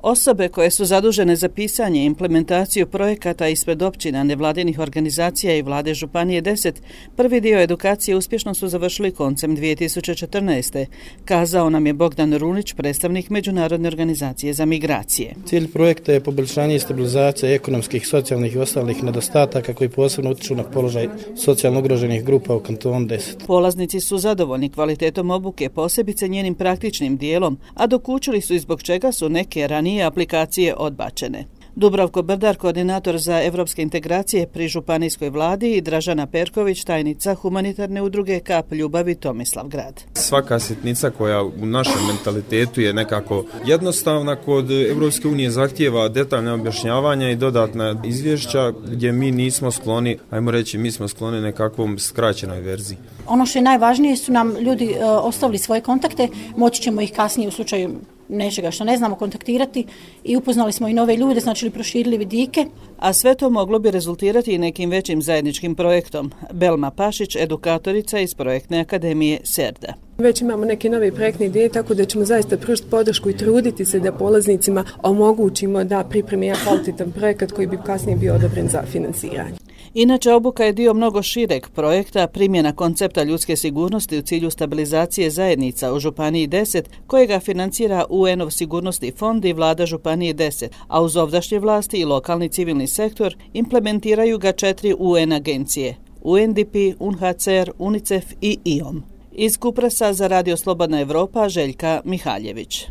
Osobe koje su zadužene za pisanje i implementaciju projekata ispred općina, nevladinih organizacija i vlade Županije 10, prvi dio edukacije uspješno su završili koncem 2014. Kazao nam je Bogdan Runić, predstavnik Međunarodne organizacije za migracije. Cilj projekta je poboljšanje i stabilizacija ekonomskih, socijalnih i ostalih nedostataka koji posebno utiču na položaj socijalno ugroženih grupa u kantonu 10. Polaznici su zadovoljni kvalitetom obuke, posebice njenim praktičnim dijelom, a dokučili su i zbog čega su neke ranije aplikacije odbačene. Dubravko Brdar, koordinator za evropske integracije pri županijskoj vladi, i Dražana Perković, tajnica humanitarne udruge Kap ljubavi Tomislavgrad. Svaka sitnica koja u našem mentalitetu je nekako jednostavna, kod Evropske unije zahtijeva detaljne objašnjavanja i dodatna izvješća gdje mi nismo skloni, ajmo reći, mi smo skloni nekakvom skraćenoj verziji. Ono što je najvažnije su nam ljudi ostavili svoje kontakte, moći ćemo ih kasnije u slučaju nečega što ne znamo kontaktirati i upoznali smo i nove ljude, znači proširili vidike. A sve to moglo bi rezultirati i nekim većim zajedničkim projektom. Belma Pašić, edukatorica iz projektne akademije SERDA. Već imamo neke nove projektne ideje, tako da ćemo zaista pružiti podršku i truditi se da polaznicima omogućimo da pripremi jedan kvalitetan projekat koji bi kasnije bio odobren za finansiranje. Inače, obuka je dio mnogo šireg projekta primjena koncepta ljudske sigurnosti u cilju stabilizacije zajednica u Županiji 10, kojega financira UN-ov sigurnosni fond i vlada Županije 10, a uz ovdašnje vlasti i lokalni civilni sektor implementiraju ga 4 UN agencije: UNDP, UNHCR, UNICEF i IOM. Iz Kupresa za Radio Slobodna Evropa, Željka Mihaljević.